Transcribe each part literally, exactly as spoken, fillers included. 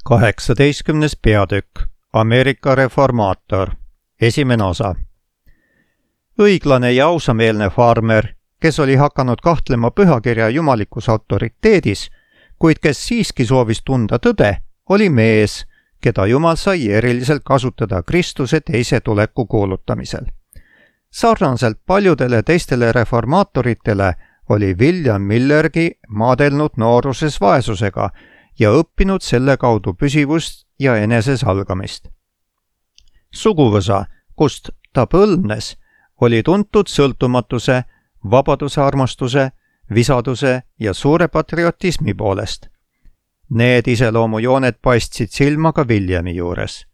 kaheksateistkümnes peatükk Ameerika reformaator. Esimene osa. Õiglane ja ausameelne farmer, kes oli hakanud kahtlema pühakirja jumalikus autoriteedis, kuid kes siiski soovis tunda tõde, oli mees, keda Jumal sai eriliselt kasutada Kristuse teise tuleku kuulutamisel. Sarnaselt paljudele teistele reformaatoritele oli William Millergi maadelnud nooruses vaesusega ja õppinud selle kaudu püsivust ja enesesalgamist. Suguvõsa, kust ta põlvnes, oli tuntud sõltumatuse, vabaduse armastuse, visaduse ja suure patriotismi poolest. Need iseloomujooned paistsid silma ka Williami juures.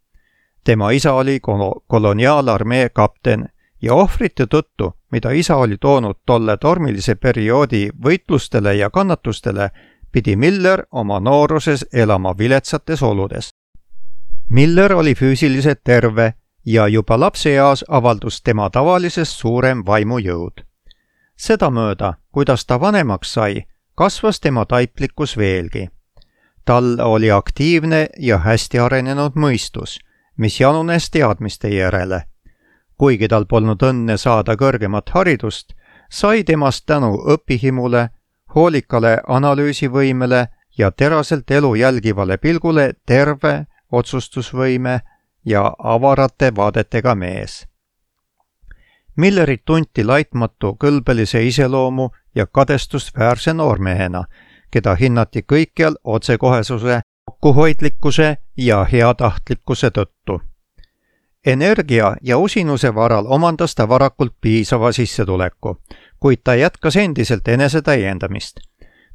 Tema isa oli koloniaalarmee kapten ja ohvrite tõttu, mida isa oli toonud tolle tormilise perioodi võitlustele ja kannatustele, pidi Miller oma nooruses elama viletsates oludes. Miller oli füüsiliselt terve ja juba lapseeas avaldus tema tavalisest suurem vaimujõud. Sedamööda, kuidas ta vanemaks sai, kasvas tema taiplikkus veelgi. Tal oli aktiivne ja hästi arenenud mõistus, mis janunes teadmiste järele. Kuigi tal polnud õnne saada kõrgemat haridust, sai temast tänu õpihimule, hoolikale analüüsivõimele ja teraselt elu jälgivale pilgule terve otsustusvõime ja avarate vaadetega mees. Millerit tunti laitmatu kõlbelise iseloomu ja kadestusväärse noormehena, keda hinnati kõikjal otsekohesuse, kokkuhoidlikkuse ja heatahtlikkuse tõttu. Energia ja usinuse varal omandas ta varakult piisava sissetuleku, kuid ta jätkas endiselt enese täiendamist.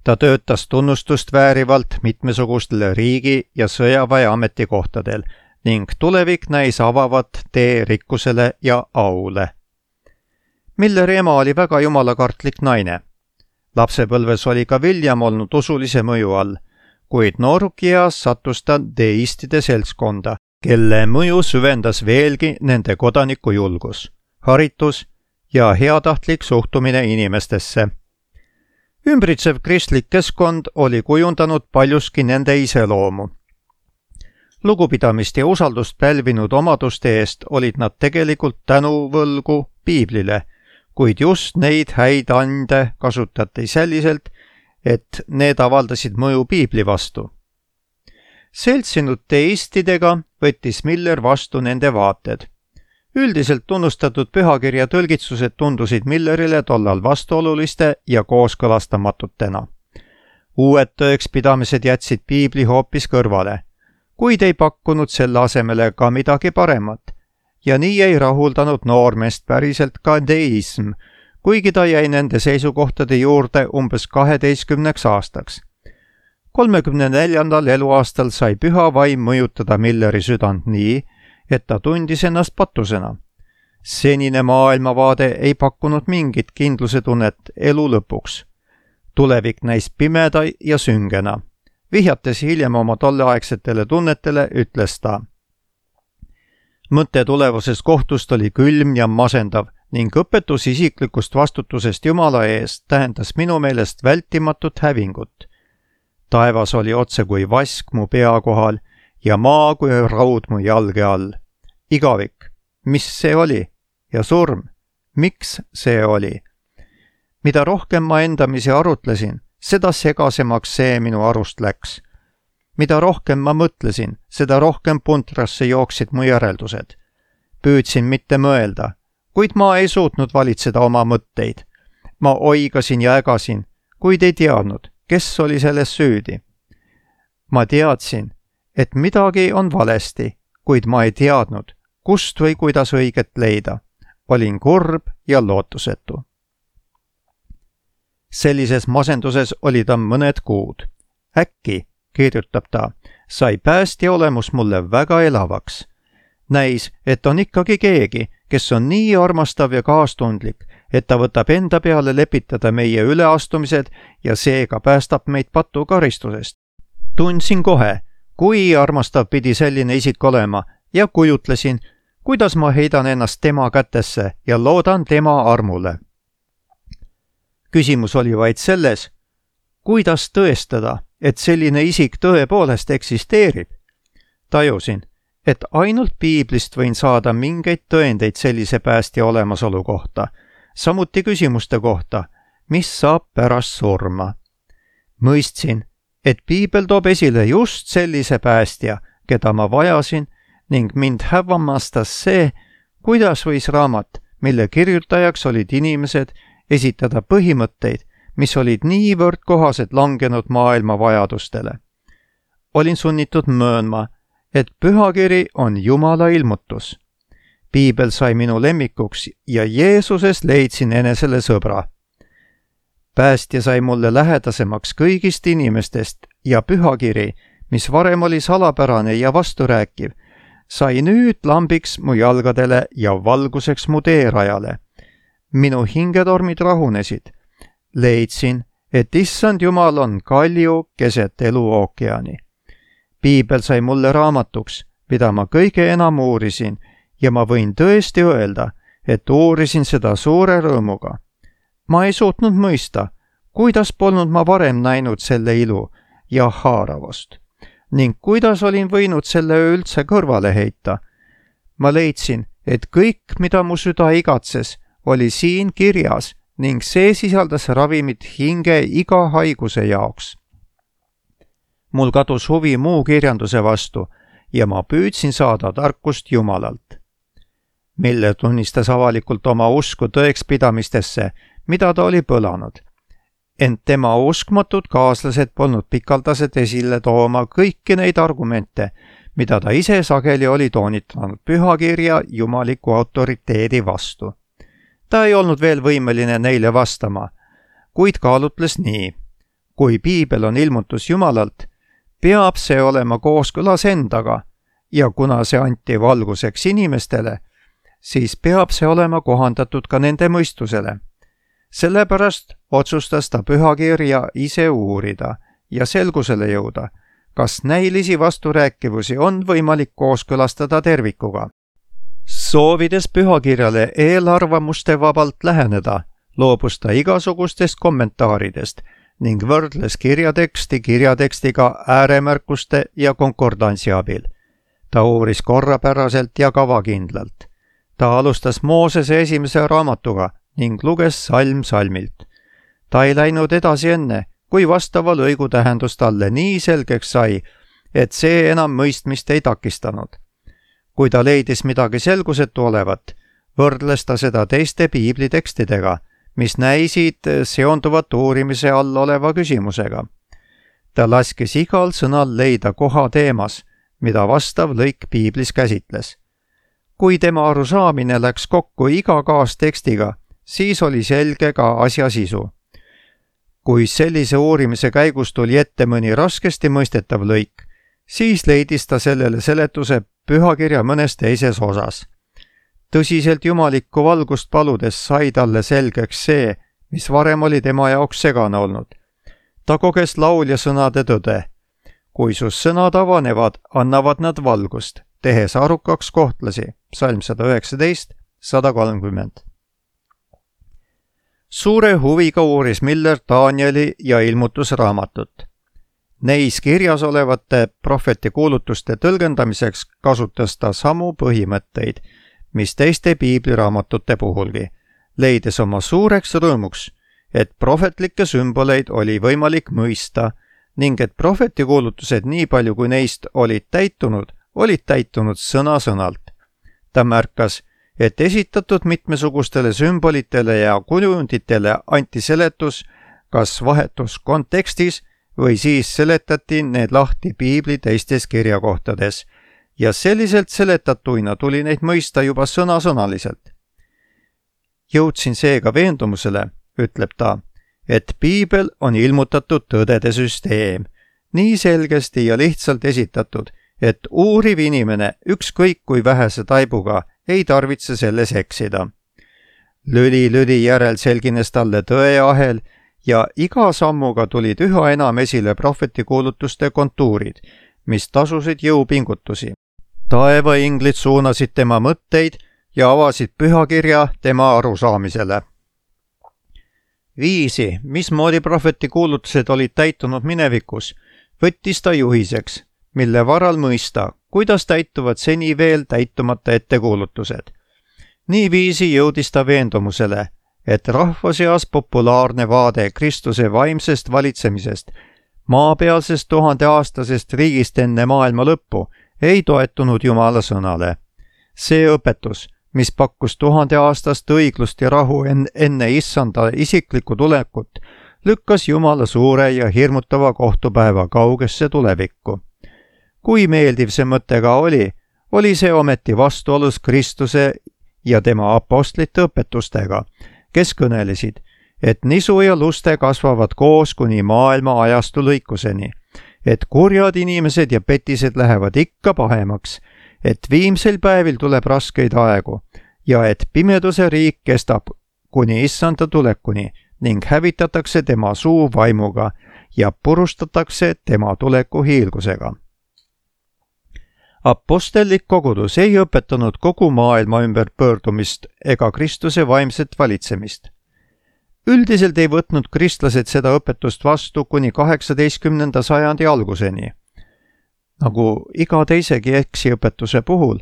Ta töötas tunnustust väärivalt mitmesugustele riigi- ja sõjaväe ametikohtadel ning tulevik näis avavat tee rikkusele ja aule. Milleri ema oli väga jumalakartlik naine. Lapsepõlves oli ka William olnud usulise mõju all, kuid noorukias sattus ta deistide seltskonda, kelle mõju süvendas veelgi nende kodanikujulgus, haritus ja heatahtlik suhtumine inimestesse. Ümbritsev kristlik keskkond oli kujundanud paljuski nende iseloomu. Lugupidamist ja usaldust pälvinud omaduste eest olid nad tegelikult tänuvõlgu Piiblile, kuid just neid häid ande kasutati selliselt, et need avaldasid mõju Piibli vastu. Seltsinud teistidega võttis Miller vastu nende vaated. Üldiselt tunnustatud pühakirja tõlgitsused tundusid Millerile tollal vastuoluliste ja kooskõlastamatutena. Uued tõekspidamised jätsid Piibli hoopis kõrvale, kuid ei pakkunud selle asemele ka midagi paremat, ja nii ei rahuldanud noormeest päriselt ka deism, kuigi ta jäi nende seisukohtade juurde umbes kaheteistkümneks aastaks. kolmekümne neljandal eluaastal sai püha vaim mõjutada Milleri südant nii, et ta tundis ennast patusena. Senine maailmavaade ei pakkunud mingit kindluse tunnet elu lõpuks. Tulevik näis pimeda ja süngena. Vihjates hiljem oma tolleaegsetele tunnetele, ütles ta. Mõte tulevasest kohtust oli külm ja masendav ning õpetus isiklikust vastutusest Jumala eest tähendas minu meelest vältimatut hävingut. Taevas oli otse kui vask mu pea kohal ja maa kui raud mu jalge all. Igavik, mis see oli? Ja surm, miks see oli? Mida rohkem ma endamisi arutlesin, seda segasemaks see minu arust läks. Mida rohkem ma mõtlesin, seda rohkem puntrasse jooksid mu järeldused. Püüdsin mitte mõelda, kuid ma ei suutnud valitseda oma mõtteid. Ma oigasin ja ägasin, kuid ei teadnud, kes oli selles süüdi. Ma teadsin, et midagi on valesti, kuid ma ei teadnud, kust või kuidas õiget leida. Olin kurb ja lootusetu. Sellises masenduses oli ta mõned kuud. Äkki, kirjutab ta, sai päästja olemus mulle väga elavaks. Näis, et on ikkagi keegi, kes on nii armastav ja kaastundlik, et ta võtab enda peale lepitada meie üleastumised ja seega päästab meid patu karistusest. Tundsin kohe, kui armastav pidi selline isik olema ja kujutlesin, kuidas ma heidan ennast tema kätesse ja loodan tema armule. Küsimus oli vaid selles, kuidas tõestada, et selline isik tõepoolest eksisteerib Tajusin, et ainult piiblist võin saada mingeid tõendeid sellise päästja olemasolu kohta, samuti küsimuste kohta, mis saab pärast surma. Mõistsin, et piibel toob esile just sellise päästja, keda ma vajasin, ning mind hämmastas see, kuidas võis raamat, mille kirjutajaks olid inimesed, esitada põhimõtteid, mis olid niivõrd kohased langenud maailma vajadustele. Olin sunnitud möönma, et pühakiri on Jumala ilmutus. Piibel sai minu lemmikuks ja Jeesuses leidsin enesele sõbra. Päästja sai mulle lähedasemaks kõigist inimestest ja pühakiri, mis varem oli salapärane ja vasturääkiv, sai nüüd lambiks mu jalgadele ja valguseks mu teerajale. Minu hingetormid rahunesid. Leidsin, et issand Jumal on kalju keset eluookeani. Piibel sai mulle raamatuks, mida ma kõige enam uurisin, ja ma võin tõesti öelda, et uurisin seda suure rõõmuga. Ma ei suutnud mõista, kuidas polnud ma varem näinud selle ilu ja haaravust, ning kuidas olin võinud selle üldse kõrvale heita. Ma leidsin, et kõik, mida mu süda igatses, oli siin kirjas ning see sisaldas ravimit hinge iga haiguse jaoks. Mul kadus huvi muu kirjanduse vastu ja ma püüdsin saada tarkust Jumalalt. Miller tunnistas avalikult oma usku tõekspidamistesse, mida ta oli põlanud. Ent tema uskmatud kaaslased polnud pikaldased esile tooma kõiki neid argumente, mida ta ise sageli oli toonitanud pühakirja jumaliku autoriteedi vastu. Ta ei olnud veel võimeline neile vastama, kuid kaalutles nii. Kui piibel on ilmutus Jumalalt, peab see olema kooskõlas endaga ja kuna see anti valguseks inimestele, siis peab see olema kohandatud ka nende mõistusele. Sellepärast otsustas ta pühakirja ise uurida ja selgusele jõuda, kas näilisi vasturääkivusi on võimalik kooskõlastada tervikuga. Soovides pühakirjale eelarvamuste vabalt läheneda, loobus ta igasugustest kommentaaridest ning võrdles kirjateksti kirjatekstiga ääremärkuste ja konkordantsi abil. Ta uuris korrapäraselt ja kavakindlalt. Ta alustas Moosese esimese raamatuga ning luges salm salmilt. Ta ei läinud edasi enne, kui vastava lõigu tähendus talle nii selgeks sai, et see enam mõistmist ei takistanud. Kui ta leidis midagi selgusetu olevat, võrdles ta seda teiste piiblitekstidega, mis näisid seonduvat uurimise all oleva küsimusega. Ta laskis igal sõnal leida koha teemas, mida vastav lõik piiblis käsitles. Kui tema arusaamine läks kokku iga kaastekstiga, siis oli selge ka asja sisu. Kui sellise uurimise käigus tuli ette mõni raskesti mõistetav lõik, siis leidis ta sellele seletuse pühakirja mõnes teises osas. Tõsiselt jumalikku valgust paludes sai talle selgeks see, mis varem oli tema jaoks segane olnud. Ta koges laulja sõnade tõde. Kui su sõnad avanevad, annavad nad valgust, tehes arukaks kohtlasi. Psalm sada üheksateist, sada kolmkümmend. Suure huviga uuris Miller Danieli ja ilmutusraamatut. Neis kirjas olevate prohveti kuulutuste tõlgendamiseks kasutas ta samu põhimõtteid, mis teiste piibliraamatute puhulgi, leides oma suureks rõõmuks, et prohvetlikke sümboleid oli võimalik mõista ning et prohveti kuulutused nii palju kui neist olid täitunud, olid täitunud sõna-sõnalt. Ta märkas, et esitatud mitmesugustele sümbolitele ja kujunditele anti seletus kas vahetus kontekstis või siis seletati need lahti piibli teistes kirjakohtades ja selliselt seletatuina tuli neid mõista juba sõnasõnaliselt. Jõudsin seega veendumusele, ütleb ta, et piibel on ilmutatud tõdede süsteem, nii selgesti ja lihtsalt esitatud, et uuriv inimene ükskõik kui vähese taibuga ei tarvitse selles eksida. Lüli-lüli järel selgines talle tõeahel ja iga sammuga tulid üha enam esile prohvetikuulutuste kontuurid, mis tasusid jõupingutusi. Taevainglid suunasid tema mõtteid ja avasid pühakirja tema arusaamisele. Viisi, mismoodi prohvetikuulutused olid täitunud minevikus, võttis ta juhiseks, mille varal mõista, kuidas täituvad seni veel täitumata ettekuulutused. Niiviisi jõudis ta veendumusele, et rahva seas populaarne vaade Kristuse vaimsest valitsemisest, maapealsest tuhandeaastasest riigist enne maailma lõppu, ei toetunud Jumala sõnale. See õpetus, mis pakkus tuhandeaastast õiglust ja rahu enne issanda isiklikku tulekut, lükkas Jumala suure ja hirmutava kohtupäeva kaugesse tulevikku. Kui meeldiv see mõte ka oli, oli see ometi vastuolus Kristuse ja tema apostlite õpetustega, kes kõnelesid, et nisu ja luste kasvavad koos kuni maailma ajastu lõikuseni, et kurjad inimesed ja petised lähevad ikka pahemaks, et viimsel päevil tuleb raskeid aegu ja et pimeduse riik kestab kuni issanda tulekuni ning hävitatakse tema suu vaimuga ja purustatakse tema tuleku hiilgusega. Apostellik kogudus ei õpetanud kogu maailma ümber pöördumist ega Kristuse vaimset valitsemist. Üldiselt ei võtnud kristlased seda õpetust vastu kuni kaheksateistkümnenda sajandi alguseni. Nagu iga teisegi eksiõpetuse puhul,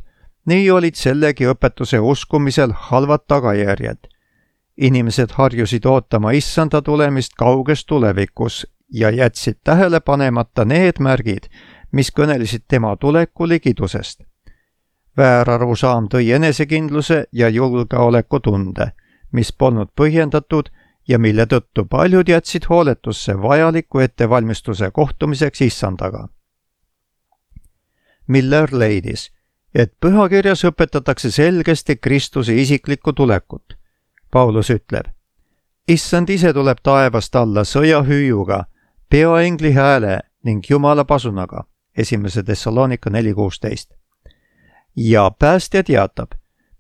nii olid sellegi õpetuse uskumisel halvad tagajärjed. Inimesed harjusid ootama issanda tulemist kauges tulevikus ja jätsid tähele panemata need märgid, mis kõnelisid tema tuleku ligidusest. Väärarusaam tõi enesekindluse ja julgeolekutunde, mis polnud põhjendatud ja mille tõttu paljud jätsid hooletusse vajaliku ettevalmistuse kohtumiseks issandaga. Miller leidis, et pühakirjas õpetatakse selgesti Kristuse isiklikku tulekut. Paulus ütleb, issand ise tuleb taevast alla sõjahüüuga, peaengli hääle ning Jumala pasunaga, esimese Thessalonika neli kuusteist. Ja päästja teatab,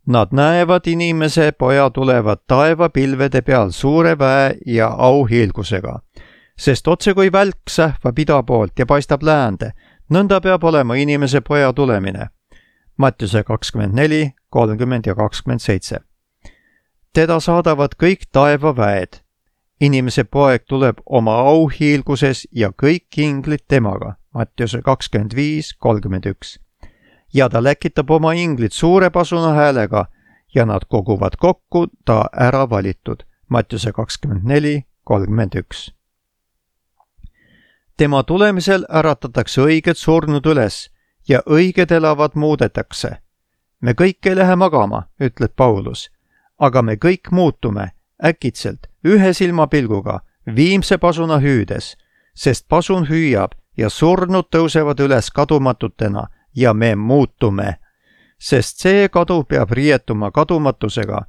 nad näevad inimese poja tulevat taevapilvede peal suure väe ja auhiilgusega, sest otse kui välk sähvab ida poolt ja paistab läände, nõnda peab olema inimese poja tulemine. Mattiuse kakskümmend neli, kolmkümmend ja kakskümmend seitse. Teda saadavad kõik taevaväed. Inimese poeg tuleb oma auhiilguses ja kõik inglid temaga. Mattiuse kakskümmend viis, kolmkümmend üks. Ja ta läkitab oma inglid suure pasuna häälega ja nad koguvad kokku ta ära valitud. Mattiuse kakskümmend neli, kolmkümmend üks. Tema tulemisel äratatakse õiged surnud üles ja õiged elavad muudetakse. Me kõik ei lähe magama, ütleb Paulus, aga me kõik muutume äkitselt ühe silmapilguga viimse pasuna hüüdes, sest pasun hüüab ja surnud tõusevad üles kadumatutena ja me muutume, sest see kadu peab riietuma kadumatusega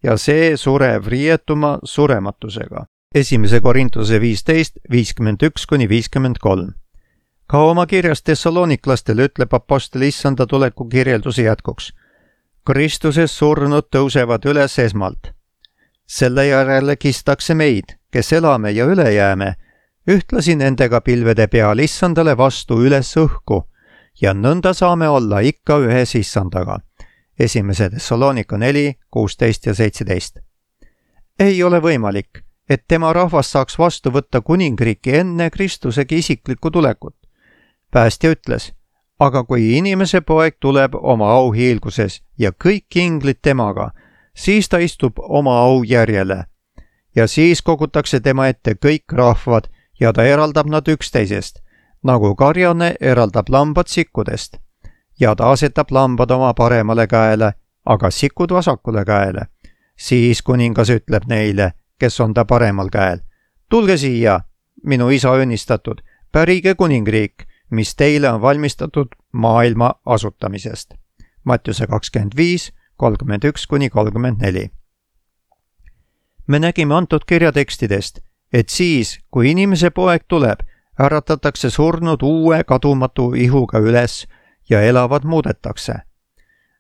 ja see surev riietuma surematusega. Esimese Korintuse viisteist, viiskümmend üks kuni viiskümmend kolm. Ka oma kirjas Thessaloniklastele ütleb apostel issanda tuleku kirjelduse jätkuks. Kristuses surnud tõusevad üles esmalt. Selle järele kistakse meid, kes elame ja üle jääme, ühtlasi nendega pilvede peal issandale vastu üles õhku ja nõnda saame olla ikka ühes issandaga. Esimese Thessalonika neli, kuusteist ja seitseteist. Ei ole võimalik, et tema rahvas saaks vastu võtta kuningriiki enne Kristusegi isiklikku tulekut. Päästja ütles, aga kui inimese poeg tuleb oma auhiilguses ja kõik inglid temaga, siis ta istub oma au järjele. Ja siis kogutakse tema ette kõik rahvad ja ta eraldab nad üksteisest, nagu karjane eraldab lambad sikkudest. Ja ta asetab lambad oma paremale käele, aga sikud vasakule käele. Siis kuningas ütleb neile, kes on ta paremal käel. Tulge siia, minu isa õnnistatud, pärige kuningriik, mis teile on valmistatud maailma asutamisest. Mattiuse kakskümmend viis, kolmkümmend üks kuni kolmkümmend neli. Me nägime antud kirjatekstidest, et siis, kui inimese poeg tuleb, äratatakse surnud uue kadumatu ihuga üles ja elavad muudetakse.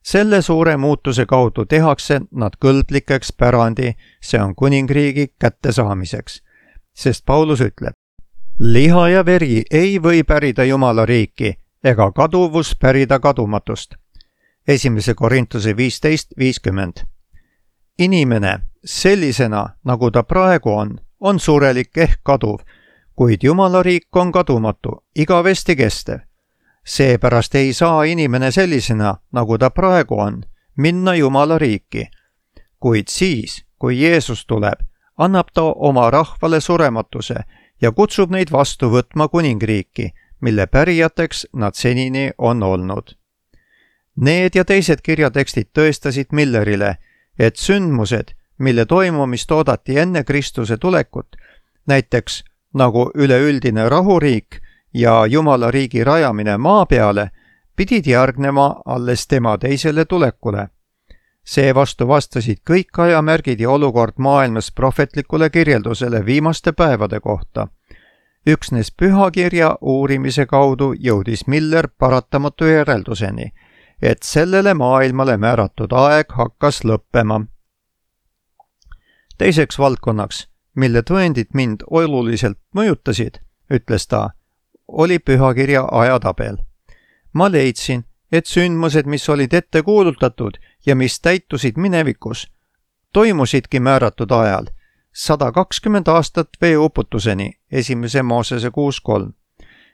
Selle suure muutuse kaudu tehakse nad kõlblikeks pärandi, see on kuningriigi kättesaamiseks, sest Paulus ütleb, liha ja veri ei või pärida Jumala riiki ega kaduvus pärida kadumatust. Esimese Korintuse viisteist, viiskümmend. Inimene sellisena, nagu ta praegu on, on surelik ehk kaduv, kuid Jumala riik on kadumatu, igavesti kestev. Seepärast ei saa inimene sellisena, nagu ta praegu on, minna Jumala riiki. Kuid siis, kui Jeesus tuleb, annab ta oma rahvale surematuse ja kutsub neid vastu võtma kuningriiki, mille pärijateks nad senini on olnud. Need ja teised kirjatekstid tõestasid Millerile, et sündmused, mille toimumist oodati enne Kristuse tulekut, näiteks nagu üleüldine rahuriik ja Jumala riigi rajamine maa peale, pidid järgnema alles tema teisele tulekule. Seevastu vastasid kõik ajamärgid ja olukord maailmas prohvetlikule kirjeldusele viimaste päevade kohta. Üksnes pühakirja uurimise kaudu jõudis Miller paratamatu järelduseni, et sellele maailmale määratud aeg hakkas lõppema. Teiseks valdkonnaks, mille tõendid mind oluliselt mõjutasid, ütles ta, oli pühakirja ajatabel. Ma leidsin, et sündmused, mis olid ette kuulutatud ja mis täitusid minevikus, toimusidki määratud ajal, sada kakskümmend aastat veeuputuseni, esimese Moosese kuus kolm,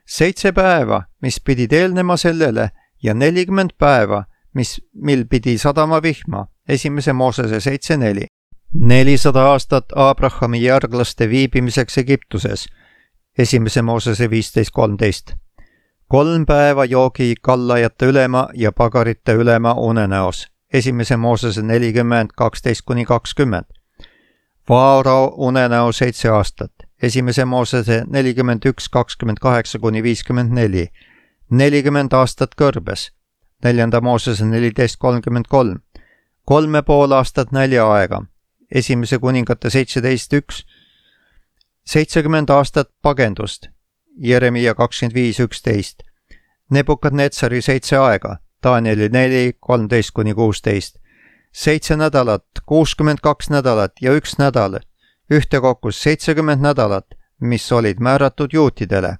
seitse päeva, mis pidid eelnema sellele ja nelikümmend päeva, mis, mil pidi sadama vihma, esimese Moosese seitse neli, nelisada aastat Abrahami järglaste viibimiseks Egiptuses, esimese Moosese viisteist kolmteist, kolm päeva joogi kallajate ülema ja pagarite ülema unenäos, esimese Moosese nelikümmend kaksteist kuni kakskümmend, Vaarao unenäo seitse aastat, esimese Moosese nelikümmend üks kakskümmend kaheksa kuni viiskümmend neli, nelikümmend aastat kõrbes, neljanda Moosese neliteist kolmkümmend kolm, kolme pool aastat näljaaega, esimese kuningate seitseteist üks, seitsekümmend aastat pagendust, Jeremia kakskümmend viis üksteist, Nebukadnetsari seitse aega, Danieli neli kolmteist kuni kuusteist, seitse nädalat, kuuskümmend kaks nädalat ja üks nädal, ühtekokku seitsekümmend nädalat, mis olid määratud juutidele,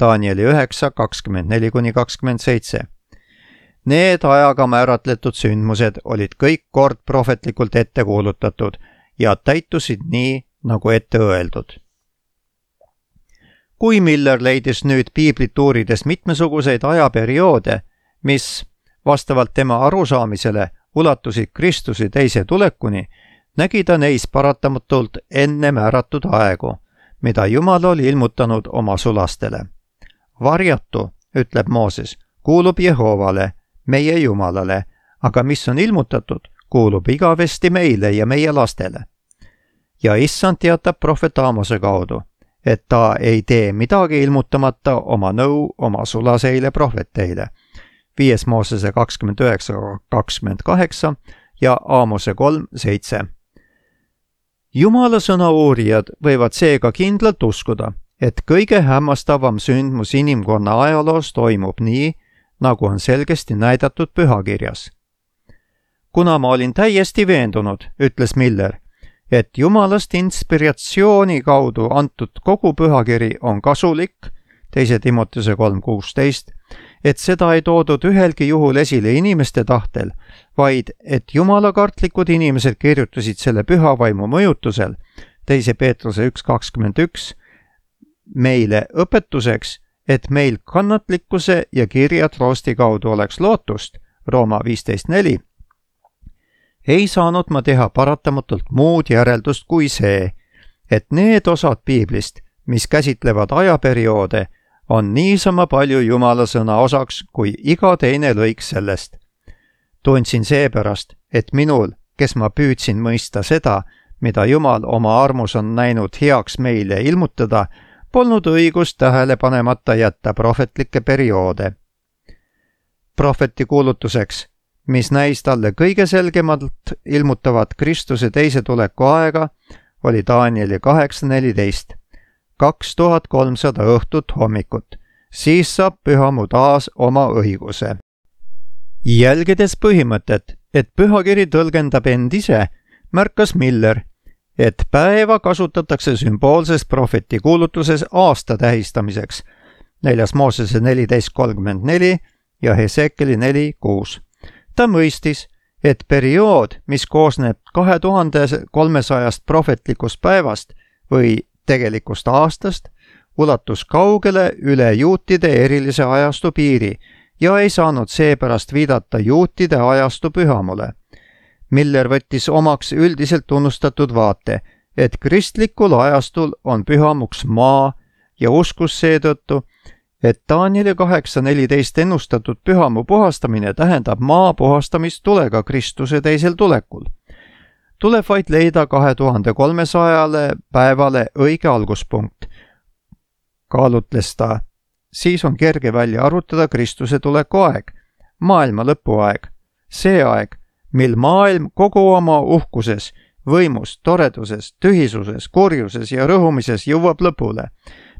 Danieli üheksa kakskümmend neli kuni kakskümmend seitse. Need ajaga määratletud sündmused olid kõik kord prohvetlikult ette kuulutatud ja täitusid nii, nagu ette öeldud. Kui Miller leidis nüüd piiblit uurides mitmesuguseid ajaperioode, mis vastavalt tema arusaamisele ulatusid Kristuse teise tulekuni, nägi ta neis paratamatult enne määratud aegu, mida Jumal oli ilmutanud oma sulastele. Varjatu, ütleb Mooses, kuulub Jehovale, meie Jumalale, aga mis on ilmutatud, kuulub igavesti meile ja meie lastele. Ja issand teatab prohvet Aamose kaudu, et ta ei tee midagi ilmutamata oma nõu oma sulaseile prohveteile. viies Moosese kakskümmend üheksa kakskümmend kaheksa ja Aamose kolm seitse. Jumala sõna uurijad võivad seega kindlalt uskuda, et kõige hämmastavam sündmus inimkonna ajaloos toimub nii, nagu on selgesti näidatud pühakirjas. Kuna ma olin täiesti veendunud, ütles Miller, et Jumalast inspiratsiooni kaudu antud kogu pühakiri on kasulik, teise Timoteuse kolm kuusteist, et seda ei toodud ühelgi juhul esile inimeste tahtel, vaid et jumalakartlikud inimesed kirjutasid selle püha vaimu mõjutusel, teise Peetruse üks kakskümmend üks, meile õpetuseks, et meil kannatlikkuse ja kirja troosti kaudu oleks lootust, Rooma viisteist neli, ei saanud ma teha paratamatult muud järeldust kui see, et need osad piiblist, mis käsitlevad ajaperioode, on niisama palju Jumala sõna osaks kui iga teine lõik sellest. Tundsin seepärast, et minul, kes ma püüdsin mõista seda, mida Jumal oma armus on näinud heaks meile ilmutada, polnud õigust tähele panemata jätta prohvetlikke perioode. Prohveti kuulutuseks, mis näis talle kõige selgemalt ilmutavat Kristuse teise tuleku aega, oli Danieli kaheksa neliteist, kaks tuhat kolmsada õhtut hommikut, siis saab pühamu taas oma õiguse. Jälgides põhimõtet, et pühakiri tõlgendab end ise, märkas Miller, et päeva kasutatakse sümboolses prohveti kuulutuses aasta tähistamiseks, neljas Moosese neliteist kolmkümmend neli ja Hesekeli neli kuus. Ta mõistis, et periood, mis koosneb kahe tuhande kolmesajast prohvetlikust päevast või tegelikust aastast, ulatus kaugele üle juutide erilise ajastu piiri ja ei saanud seepärast viidata juutide ajastu pühamule. Miller võttis omaks üldiselt tunnustatud vaate, et kristlikul ajastul on pühamuks maa ja uskus seetõttu, et Danieli kaheksa neliteist ennustatud pühamu puhastamine tähendab maa puhastamist tulega Kristuse teisel tulekul. Tuleb vaid leida kahe tuhande kolmesajale päevale õige alguspunkt. Kaalutles ta, siis on kerge välja arvutada Kristuse tuleku aeg, maailma lõpuaeg, see aeg, mil maailm kogu oma uhkuses, võimus, toreduses, tühisuses, kurjuses ja rõhumises jõuab lõpule,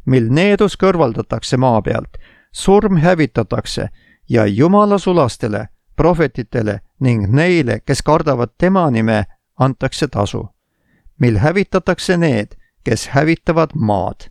mil needus kõrvaldatakse maa pealt, surm hävitatakse ja Jumala sulastele, prohvetitele ning neile, kes kardavad tema nime, antakse tasu, mil hävitatakse need, kes hävitavad maad.